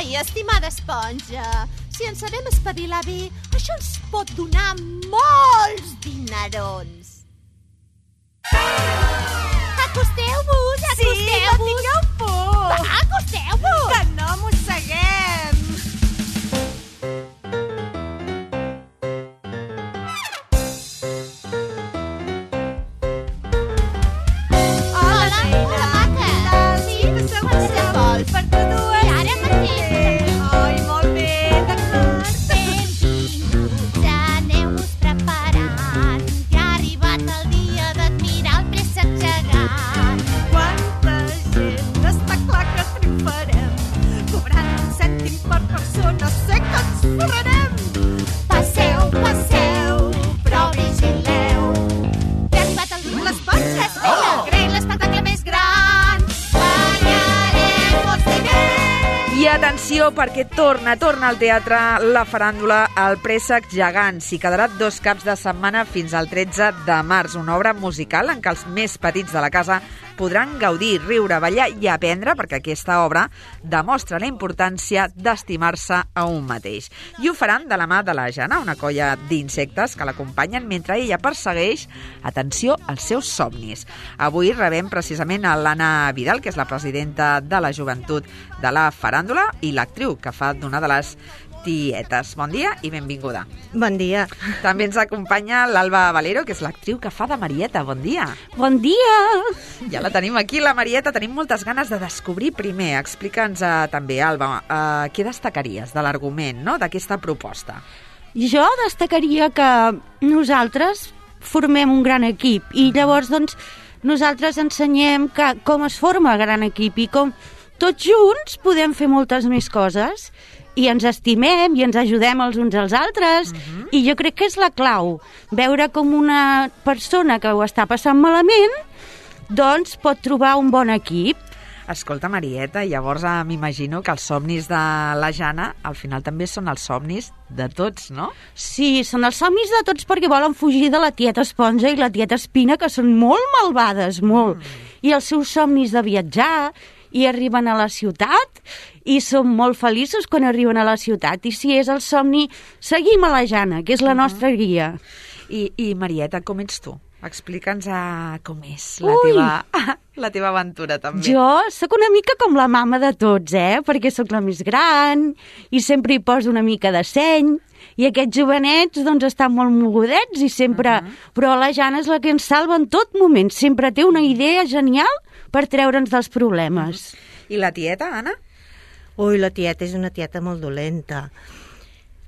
Ai, estimada esponja, si ens sabem espavilar bé, això ens pot donar molts dinerons. Acosteu-vos, acosteu-vos. Sí, no tingueu por. Va, acosteu-vos. Que no mosseguem. Hola, maca. Sí, qualsevol. Per tu dues. I ara mateix. Ai, molt bé, d'acord. Benvinguts, aneu-vos preparant, que ha arribat el dia d'admirar el préssec gegant. Quanta gent, està clar que triomfarem. Cobrant un cèntim per persona, sé que ens forrarem. Passeu, passeu, però vigileu, que ha arribat el dia. L'esponja, Crec l'espectacle més gran, guanyarem molts diners. I atenció, perquè torna al teatre la faràndula El préssec gegant. S'hi quedarà 2 caps de setmana fins al 13 de març. Una obra musical en què els més petits de la casa podran gaudir, riure, ballar i aprendre, perquè aquesta obra demostra la importància d'estimar-se a un mateix. I ho faran de la mà de la Jana, una colla d'insectes que l'acompanyen mentre ella persegueix, atenció, els seus somnis. Avui rebem precisament a l'Anna Vidal, que és la presidenta de la joventut de la faràndula i l'actriu que fa d'una de les tietes. Bon dia i benvinguda. Bon dia. També ens acompanya l'Alba Valero, que és l'actriu que fa de Marieta. Bon dia. Bon dia. Ja la tenim aquí, la Marieta. Tenim moltes ganes de descobrir primer. Explica'ns també, Alba, què destacaries de l'argument, no?, d'aquesta proposta. Jo destacaria que nosaltres formem un gran equip i llavors, doncs, nosaltres ensenyem com es forma gran equip i com tots junts podem fer moltes més coses i ens estimem i ens ajudem els uns als altres. I jo crec que és la clau, veure com una persona que ho està passant malament doncs pot trobar un bon equip. Escolta, Marieta, llavors m'imagino que els somnis de la Jana al final també són els somnis de tots, no? Sí, són els somnis de tots perquè volen fugir de la tieta Esponja i la tieta Espina, que són molt malvades, molt. I els seus somnis de viatjar, i arriben a la ciutat i són molt feliços quan arriben a la ciutat. I si és el somni, seguim a la Jana, que és la nostra guia. I Marieta, com ets tu? Explica'ns com és la teva aventura, també. Jo sóc una mica com la mama de tots, perquè sóc la més gran i sempre hi poso una mica de seny. I aquests jovenets, doncs, estan molt mogudets i sempre... Però la Jana és la que ens salva en tot moment. Sempre té una idea genial per treure'ns dels problemes. I la tieta, Anna? Ui, la tieta és una tieta molt dolenta.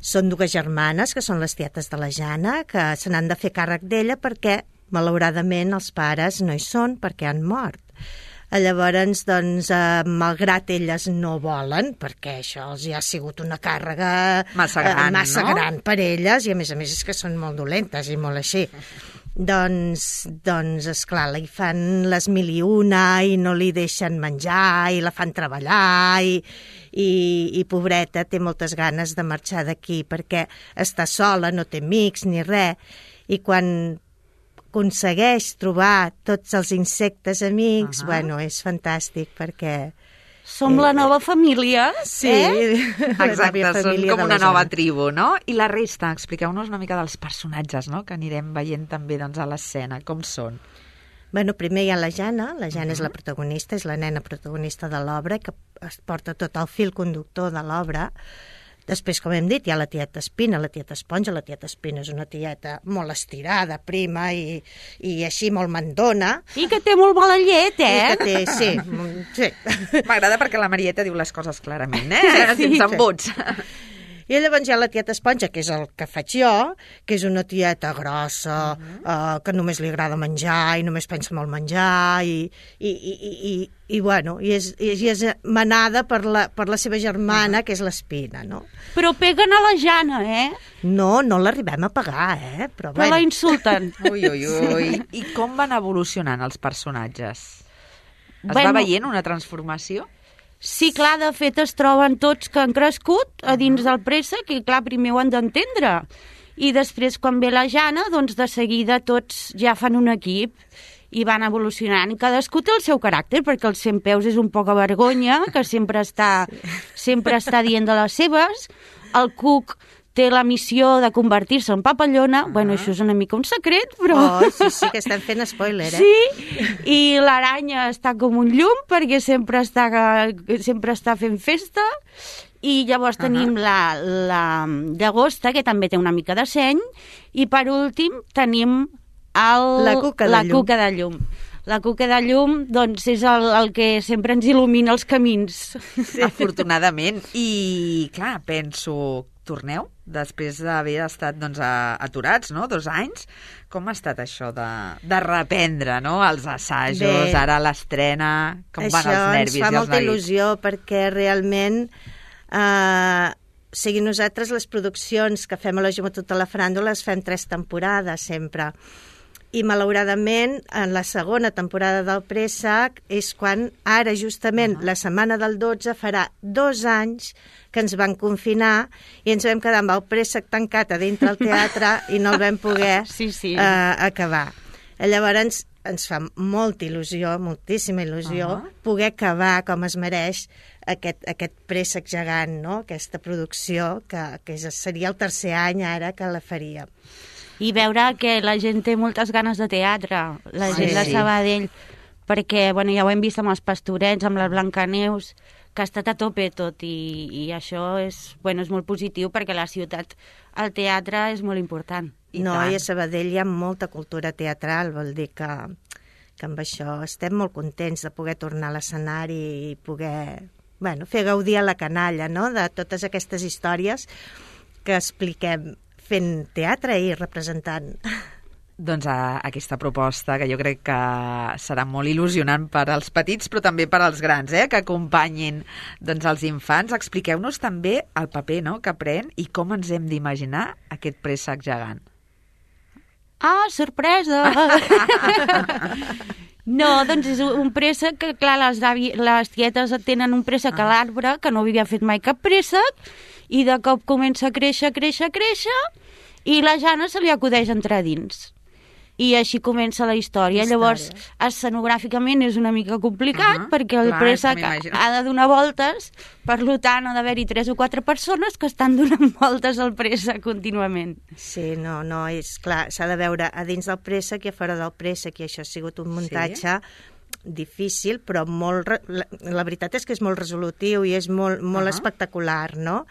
Són 2 germanes, que són les tietes de la Jana, que se n'han de fer càrrec d'ella perquè, malauradament, els pares no hi són perquè han mort. Llavors, doncs, malgrat elles no volen, perquè això els ha sigut una càrrega massa gran per elles, i a més és que són molt dolentes i molt així. Doncs, esclar, li fan les 1001 i no li deixen menjar i la fan treballar i pobreta té moltes ganes de marxar d'aquí perquè està sola, no té amics ni res, i quan aconsegueix trobar tots els insectes amics, bueno, és fantàstic perquè... Som la nova família, sí, exacte, són com una nova tribu, no? I la resta, expliqueu-nos una mica dels personatges, no?, que anirem veient també, doncs, a l'escena, com són. Bueno, primer hi ha la Jana és la protagonista, és la nena protagonista de l'obra, que es porta tot el fil conductor de l'obra. Després, com hem dit, hi ha la tieta Espina, la tieta Esponja. La tieta Espina és una tieta molt estirada, prima i així molt mandona. I que té molt mala llet, I que té, sí. M'agrada perquè la Marieta diu les coses clarament, sense embuts. I llavors hi ha la tieta Esponja, que és el que faig jo, que és una tieta grossa, que només li agrada menjar i només pensa en el menjar i bueno, i és manada per la seva germana, que és l'Espina, no? Però peguen a la Jana, No l'arribem a pagar, però bueno. La insulten. Ui. I com van evolucionant els personatges? Es va veient una transformació? Sí, clar, de fet es troben tots que han crescut a dins del préssec i, clar, primer ho han d'entendre. I després, quan ve la Jana, doncs de seguida tots ja fan un equip i van evolucionant, i cadascú té el seu caràcter, perquè el 100 peus és un poc a vergonya, que sempre està dient de les seves. El Cuc té la missió de convertir-se en papallona. Bueno, això és una mica un secret, però... Sí, que estan fent spoiler, Sí, i l'aranya està com un llum, perquè sempre està fent festa. I llavors tenim la llagosta, que també té una mica de seny, i per últim tenim la cuca de llum. La cuca de llum, doncs, és el que sempre ens il·lumina els camins. Sí. Afortunadament. I, clar, penso, torneu després d'haver estat aturats, no?, 2 anys. Com ha estat això de reprendre, no?, els assajos, bé, ara l'estrena, com van els nervis i els neguits? Això ens fa molta il·lusió, perquè realment... nosaltres les produccions que fem a la Joventut de la Faràndula les fem 3 temporades sempre, i malauradament en la segona temporada del Préssec és quan ara justament la setmana del 12 farà 2 anys que ens van confinar i ens vam quedar amb el Préssec tancat a dintre el teatre i no el vam poder acabar. Llavors ens fa molta il·lusió, moltíssima il·lusió, poder acabar com es mereix aquest Préssec gegant, no?, aquesta producció, que seria el 3è any ara que la faria. I veure que la gent té moltes ganes de teatre, la gent de Sabadell, perquè ja ho hem vist amb els Pastorets, amb la Blancaneus, que ha estat a tope tot, i això és molt positiu, perquè la ciutat, el teatre és molt important. I a Sabadell hi ha molta cultura teatral, vol dir que amb això estem molt contents de poder tornar a l'escenari i poder fer gaudir a la canalla, no?, de totes aquestes històries que expliquem fent teatre i representant. Doncs aquesta proposta, que jo crec que serà molt il·lusionant per als petits, però també per als grans, que acompanyin els infants. Expliqueu-nos també el paper, no?, que pren i com ens hem d'imaginar aquest Préssec gegant. Ah, sorpresa! No, doncs és un préssec que, clar, les tietes tenen un préssec a l'arbre, que no havia fet mai cap préssec, i de cop comença a créixer, i la Jana se li acudeix entrar dins. I així comença la història. Llavors, escenogràficament és una mica complicat, perquè el préssec ha de donar voltes, per tant, ha d'haver-hi 3 o 4 persones que estan donant voltes al préssec contínuament. Sí, no, és clar, s'ha de veure a dins del préssec i a fora del préssec, i això ha sigut un muntatge difícil, però la veritat és que és molt resolutiu i és molt espectacular, no?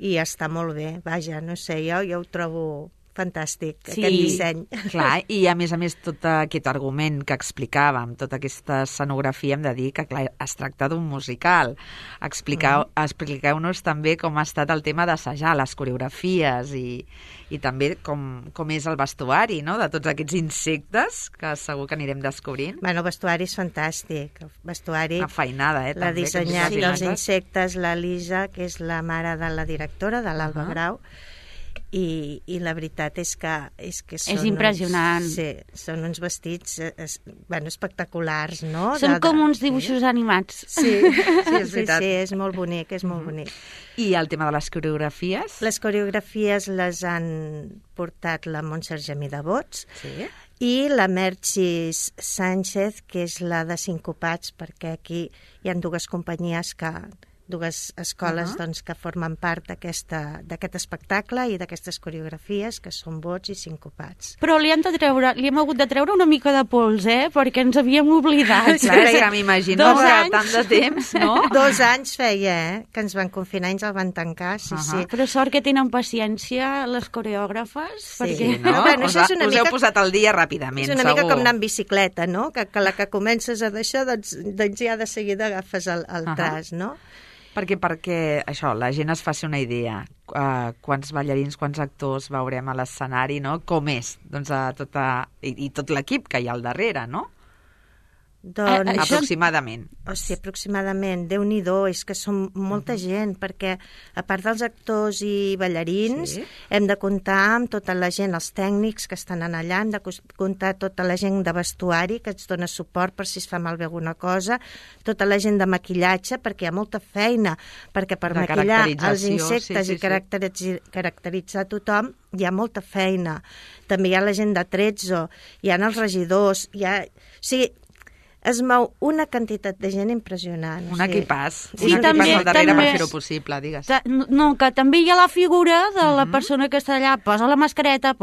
I està molt bé, vaja, no sé, jo ho trobo fantàstic, aquest disseny. Clar, i a més, tot aquest argument que explicàvem, tota aquesta escenografia, hem de dir que, clar, es tracta d'un musical. Expliqueu-nos també com ha estat el tema d'assajar les coreografies i també com és el vestuari, no?, de tots aquests insectes que segur que anirem descobrint. Bueno, el vestuari és fantàstic. El vestuari... Una feinada, també. L'ha dissenyat els insectes, la Lisa, que és la mare de la directora, de l'Alba Grau, i la veritat és que són... És impressionant. Són uns vestits espectaculars, no? Són com uns dibuixos animats. Sí, és veritat. Sí, és molt bonic, és molt bonic. I el tema de les coreografies? Les coreografies les han portat la Montserrat Gemí de Bots i la Merchis Sánchez, que és la de Sincopats, perquè aquí hi ha 2 companyies dues escoles que formen part d'aquest espectacle i d'aquestes coreografies, que són Bots i Sincopats. Però li hem hagut de treure una mica de pols, perquè ens havíem oblidat. Clar, és que m'imagino que tant de temps, no? 2 anys feia, que ens van confinar i ens el van tancar, sí. Però sort que tenen paciència les coreògrafes, perquè... No? Us heu posat al dia ràpidament, segur. És una mica com anar en bicicleta, no? Que la que comences a deixar, doncs ja de seguida agafes el tras, no? Perquè això, la gent es faci una idea. Quants ballarins, quants actors veurem a l'escenari, no? Com és? Doncs tot l'equip que hi ha al darrere, no? Doncs, Aproximadament. hòstia, aproximadament, Déu-n'hi-do, és que som molta gent, perquè a part dels actors i ballarins, hem de comptar amb tota la gent, els tècnics que estan allà, hem de comptar tota la gent de vestuari que ens dona suport per si es fa malbé alguna cosa, tota la gent de maquillatge, perquè hi ha molta feina, perquè per De maquillar els caracterització, insectes sí. i caracteritzar tothom hi ha molta feina. També hi ha la gent de Trezzo, hi ha els regidors, o sigui, es mou una quantitat de gent impressionant. Un equipàs. Sí, Un equipàs també- al darrere també- per fer-ho possible, digues. No, que també hi ha la figura de la persona que està allà, posa la mascareta.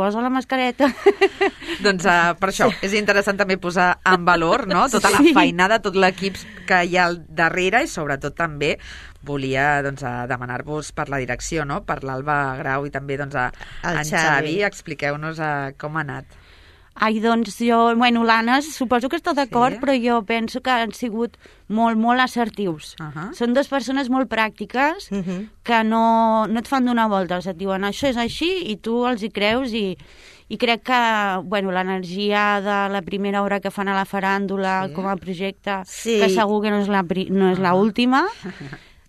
Doncs per això és interessant també posar en valor, no?, tota la Sí. feinada, tot l'equip que hi ha al darrere i sobretot també volia demanar-vos per la direcció, no?, per l'Alba Grau i també en Xavi. Expliqueu-nos com ha anat. Ai, doncs jo, l'Anna suposo que està d'acord, Sí. però jo penso que han sigut molt, molt assertius. Són dues persones molt pràctiques que no et fan donar voltes, et diuen això és així i tu els hi creus i crec que l'energia de la primera obra que fan a la faràndula com a projecte, que segur que no és l'última,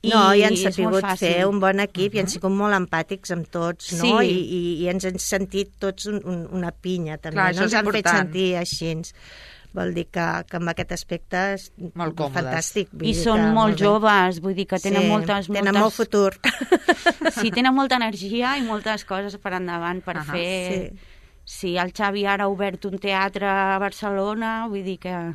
No, i han és molt sabut fàcil. fer un bon equip i han sigut molt empàtics amb tots, no? Sí. I ens hem sentit tots una pinya, també. Clar, no això ens és han fet important. sentir així. Vol dir que en aquest aspecte és Molt còmodes. fantàstic. Vull I dir són que molt bé. joves, vull dir que tenen moltes... Tenen molt futur. Sí, tenen molta energia i moltes coses per endavant per fer... Sí, el Xavi ara ha obert un teatre a Barcelona, vull dir que...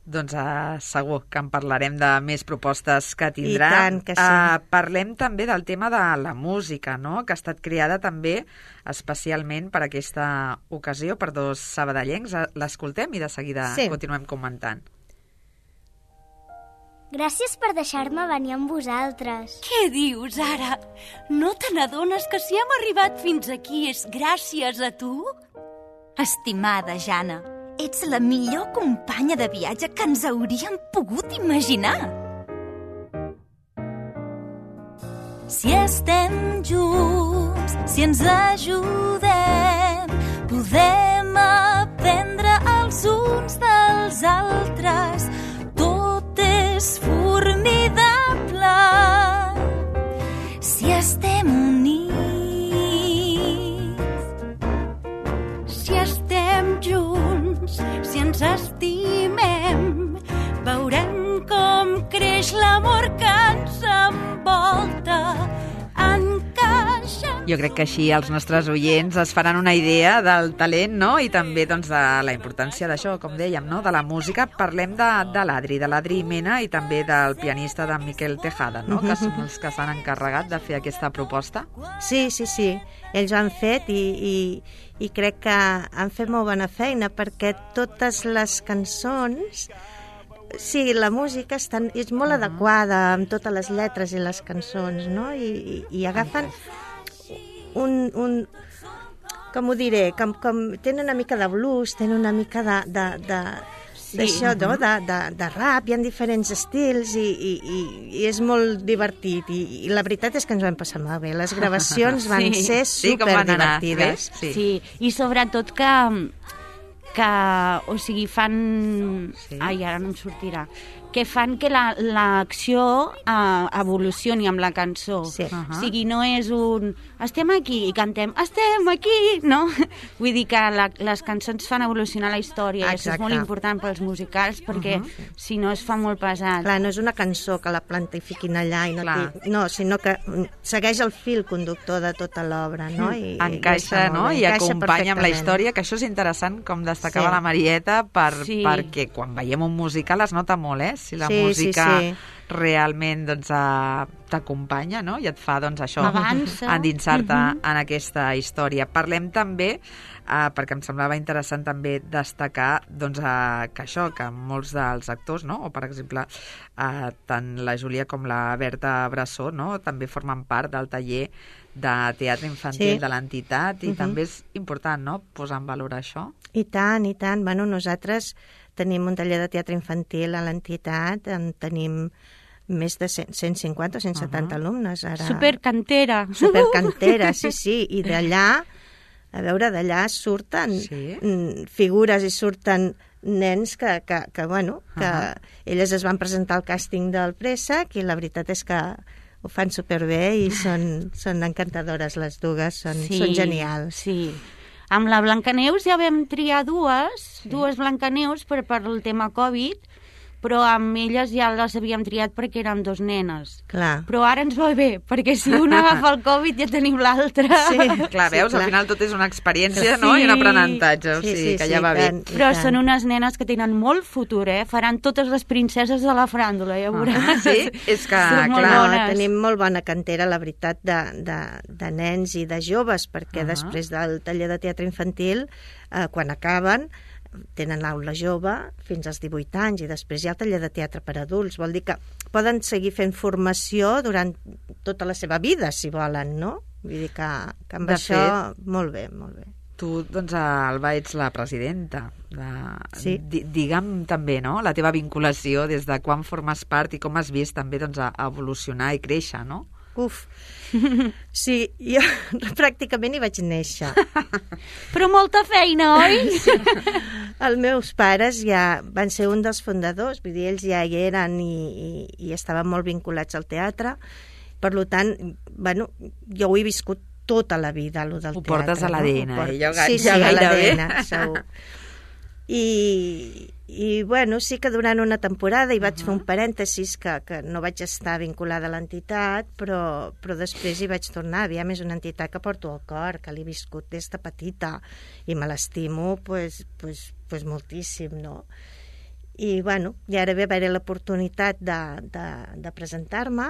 Doncs segur que en parlarem de més propostes que tindrà. I tant que sí. Parlem també del tema de la música, no?, que ha estat creada també especialment per aquesta ocasió, per dos sabadellencs. L'escoltem i de seguida continuem comentant. Gràcies per deixar-me venir amb vosaltres. Què dius, ara? No te n'adones que si hem arribat fins aquí és gràcies a tu? Estimada Jana, ets la millor companya de viatge que ens hauríem pogut imaginar. Si estem junts, si ens ajudem, podem aprendre els uns dels altres. Tot és formidable si estem units. Si estem junts, si ens estimem, veurem com creix l'amor que ens envolta. Jo crec que així els nostres oients es faran una idea del talent, no?, i també de la importància d'això, com dèiem, no?, de la música. Parlem de l'Adri Mena i també del pianista de Miquel Tejada, no?, que són els que s'han encarregat de fer aquesta proposta. Sí. Ells ho han fet i crec que han fet molt bona feina, perquè totes les cançons... Sí, la música és molt adequada amb totes les lletres i les cançons, no? I agafen com ho diré, com tenen una mica de blues, tenen una mica d'això, no? De rap, hi ha diferents estils i és molt divertit i la veritat és que ens ho vam passar molt bé. Les gravacions van ser superdivertides. Sí, i sobretot que o sigui, fan... Ai, ara no em sortirà. Que fan que l'acció evolucioni amb la cançó. O sigui, no és un... Estem aquí i cantem, estem aquí, no? Vull dir que les cançons fan evolucionar la història. I això és molt important pels musicals, perquè si no es fa molt pesat. Clar, no és una cançó que la plantifiquin allà i no, sinó que segueix el fil conductor de tota l'obra, no? Encaixa, no?, i acompanya amb la història, que això és interessant, com destacava la Marieta, perquè quan veiem un musical es nota molt, si la música realment t'acompanya, no?, i et fa això, endinsar-te en aquesta història. Parlem també, perquè em semblava interessant també destacar que això, que molts dels actors, no?, o per exemple tant la Júlia com la Berta Brassó, no?, també formen part del taller de teatre infantil de l'entitat, i també és important, no?, posar en valor això. I tant. Bueno, nosaltres tenim un taller de teatre infantil a l'entitat, en tenim més de 150 o 170 alumnes. Ara. Supercantera, sí. I d'allà, d'allà surten figures i surten nens que elles es van presentar al càsting del Préssec i la veritat és que ho fan superbé i són encantadores les dues, són genials. Sí. Amb la Blancaneus ja vam triar dues Blancaneus per el tema Covid, però amb elles ja les havíem triat perquè eren 2 nenes. Clar. Però ara ens va bé, perquè si una agafa el Covid ja tenim l'altra. Sí, clar, veus, al final tot és una experiència, no? I un aprenentatge, o sigui, que ja va bé. Però són unes nenes que tenen molt futur, faran totes les princeses de la faràndula, ja veuràs. Sí, és que, clar, tenim molt bona cantera, la veritat, de nens i de joves, perquè després del taller de teatre infantil, quan acaben, tenen l'aula jove fins als 18 anys i després hi ha el taller de teatre per adults. Vol dir que poden seguir fent formació durant tota la seva vida, si volen, no? Vull dir que amb això, molt bé, molt bé. Tu, doncs, Alba, ets la presidenta. Sí. Digue'm també, no?, la teva vinculació des de quan formes part i com has vist també, doncs, a evolucionar i créixer, no? Uf, sí, jo pràcticament hi vaig néixer. Però molta feina, oi? Sí. Els meus pares ja van ser un dels fundadors, vull dir, ells ja hi eren i estaven molt vinculats al teatre. Per tant, bueno, jo ho he viscut tota la vida, allò del teatre. Ho portes a l'ADN, Sí, a l'ADN, segur. I bueno, sí que durant una temporada hi vaig fer un parèntesis que no vaig estar vinculada a l'entitat, però després hi vaig tornar. Aviam, és una entitat que porto al cor, que l'he viscut des de petita i me l'estimo pues moltíssim, no? I bueno, i ara ve haver l'oportunitat de presentar-me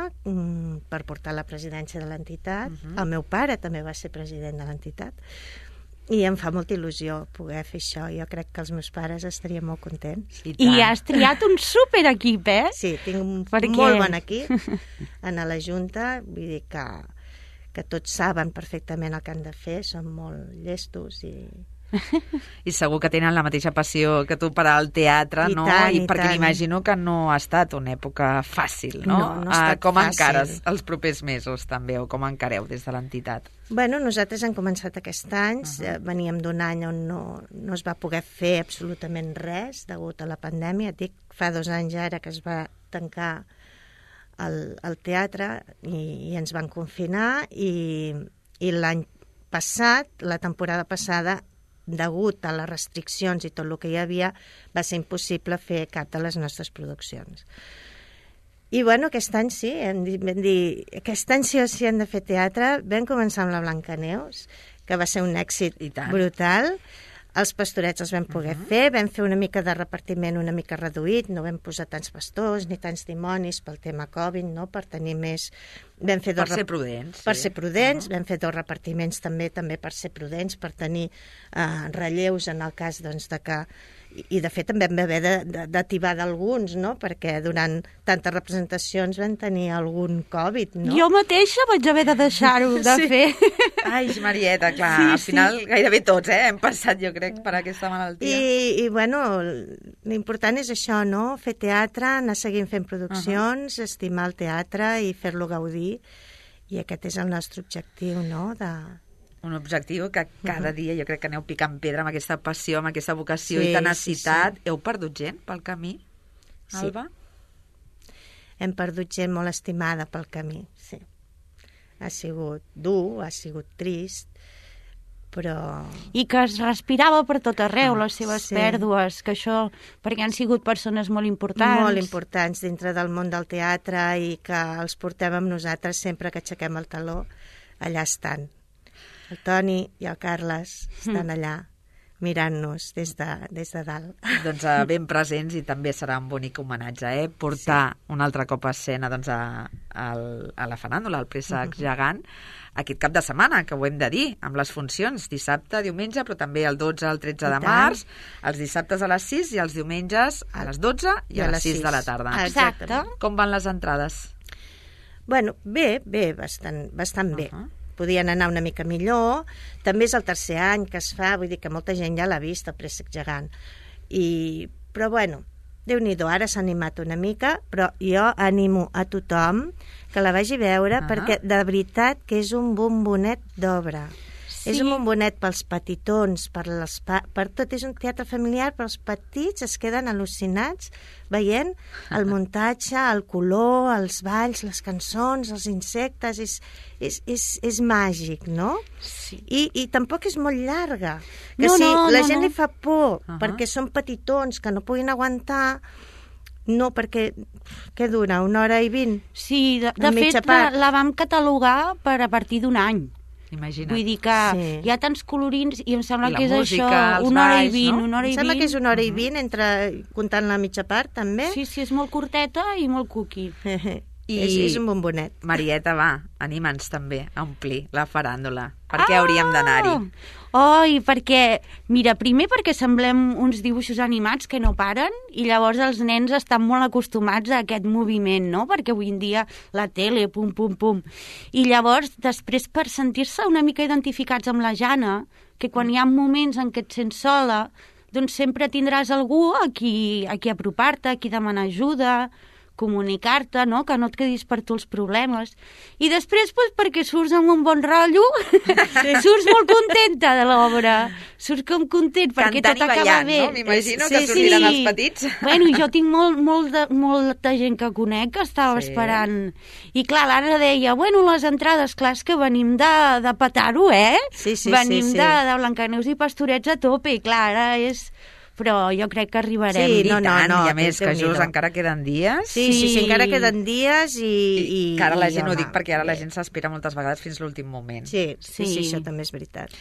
per portar la presidència de l'entitat. El meu pare també va ser president de l'entitat. I em fa molta il·lusió poder fer això. Jo crec que els meus pares estarien molt contents. I has triat un superequip, Sí, tinc un molt bon equip en la Junta. Vull dir que tots saben perfectament el que han de fer, són molt llestos I segur que tenen la mateixa passió que tu per al teatre, no? I perquè m'imagino que no ha estat una època fàcil, no? No ha estat com fàcil. encares els propers mesos, també, o com encareu des de l'entitat? Bueno, nosaltres hem començat aquest any, veníem d'un any on no es va poder fer absolutament res degut a la pandèmia. Et dic, fa 2 anys ara que es va tancar el teatre i ens van confinar i l'any passat, la temporada passada, degut a les restriccions i tot el que hi havia, va ser impossible fer cap de les nostres produccions. I bueno, aquest any sí, vam dir, aquest any sí o sí hem de fer teatre. Vam començar amb la Blancaneus, que va ser un èxit brutal. Els pastorets els vam poder fer, vam fer una mica de repartiment una mica reduït, no vam posar tants pastors ni tants dimonis pel tema Covid, no? Per tenir més... Per ser prudents. Per ser prudents, vam fer 2 repartiments també per ser prudents, per tenir relleus en el cas doncs, de que... I de fet també vam haver d'ativar d'alguns, no? Perquè durant tantes representacions vam tenir algun Covid, no? Jo mateixa vaig haver de deixar-ho de fer. Ai, Marieta, clar, al final gairebé tots hem passat, jo crec, per aquesta malaltia. I bueno, l'important és això, no? Fer teatre, anar seguint fent produccions, estimar el teatre i fer-lo gaudir. I aquest és el nostre objectiu, no? Un objectiu que cada dia jo crec que aneu picant pedra amb aquesta passió, amb aquesta vocació i tenacitat. Heu perdut gent pel camí, Alba? Hem perdut gent molt estimada pel camí, sí. Ha sigut dur, ha sigut trist, però... I que es respirava per tot arreu, les seves pèrdues, que això, perquè han sigut persones molt importants. Molt importants dintre del món del teatre i que els portem amb nosaltres sempre que aixequem el taló, allà estan. El Toni i el Carles estan allà mirant-nos des de dalt. Doncs ben presents i també serà un bonic homenatge, portar un altre cop a escena doncs, a la faràndula, al Préssec Gegant, aquest cap de setmana, que ho hem de dir, amb les funcions, dissabte, diumenge, però també el 12 al 13 de març, els dissabtes a les 6 i els diumenges a les 12 i a les 6 de la tarda. Exacte. Com van les entrades? Bueno, bé, bastant bé. Podien anar una mica millor. També és el 3è any que es fa, vull dir que molta gent ja l'ha vist, el Préssec Gegant. Però bueno, Déu-n'hi-do, ara s'ha animat una mica, però jo animo a tothom que la vagi a veure perquè de veritat que és un bombonet d'obra. És un bombonet pels petitons, per tot. És un teatre familiar, però els petits es queden al·lucinats veient el muntatge, el color, els balls, les cançons, els insectes. És màgic, no? Sí. I tampoc és molt llarga. Que No, si no, la no, gent no. li fa por perquè són petitons que no puguin aguantar, no, perquè què dura? 1h20? Sí, de En mitja fet part. la vam catalogar a partir d'un any. Imagina't. Vull dir que Sí. hi ha tants colorins i em sembla I la que és música, això, els 1h20, balls, no? 1h20. Em sembla que és 1h20 entre comptant la mitja part, també. Sí, és molt curteta i molt cookie. És un bombonet. Marieta, va, anima'ns també a omplir la faràndula. Per què hauríem d'anar-hi? Oi, perquè, mira, primer perquè semblem uns dibuixos animats que no paren i llavors els nens estan molt acostumats a aquest moviment, no? Perquè avui en dia la tele, pum, pum, pum. I llavors, després, per sentir-se una mica identificats amb la Jana, que quan hi ha moments en què et sents sola, doncs sempre tindràs algú a qui apropar-te, a qui demanar ajuda, comunicar-te, no? Que no et quedis per tu els problemes. I després, doncs, perquè surts amb un bon rotllo, surts molt contenta de l'obra, surts com content, perquè Cantant tot i acaba ballant, bé. no? M'imagino que sortiran els petits. Bueno, jo tinc molta gent que conec que estava esperant. I clar, l'Anna deia, bueno, les entrades, clar, és que venim de petar-ho, Sí. Venim de Blancaneus i Pastorets a tope, i clar, ara és... Però jo crec que arribarem. Sí, I no, tant, no, i a més que Déu-n'hi-do. just encara queden dies. Sí, encara queden dies i que ara la gent, home, ho dic perquè ara la gent s'espera moltes vegades fins l'últim moment. Sí, Sí. això també és veritat.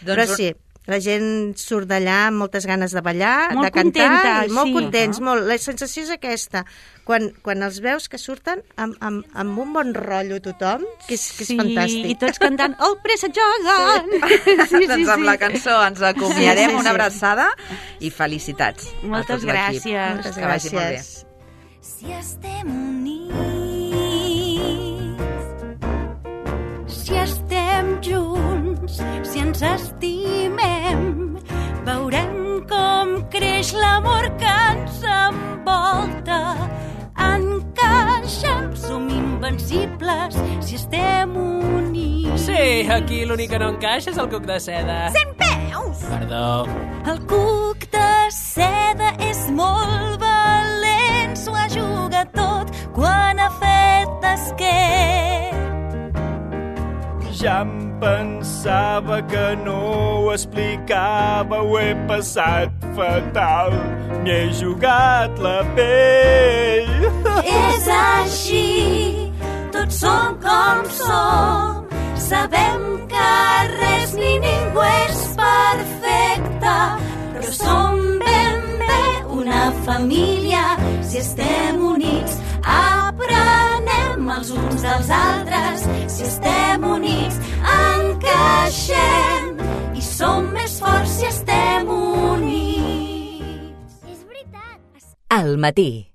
Doncs Però sí, la gent surt d'allà amb moltes ganes de ballar, Molt de cantar, contenta, i molt sí. contents, molt. La sensació és aquesta, quan els veus que surten amb un bon rotllo tothom, que és fantàstic. I tots cantant el préssec gegant. Sí, Doncs amb la cançó ens acomiadem, una abraçada i felicitats a Moltes tot l'equip. gràcies. Moltes Que vagi molt bé. gràcies. Si estem units, Si estem junts, si ens estimem, veurem com creix l'amor que ens envolta. Encaixem, som invencibles si estem units. Sí, aquí l'únic que no encaixa és el cuc de seda. 100 peus! Perdó. El cuc de seda és molt valent, s'ho ajuga tot quan ha fet esquer. Ja em pensava que no ho explicava, ho he passat fatal, m'hi he jugat la pell. És així, tots som com som, sabem que res ni ningú és perfecte, però som ben bé una família si estem units. Aprenem els uns dels altres si estem units. Encaixem i som més forts si estem units. És veritat. Al matí.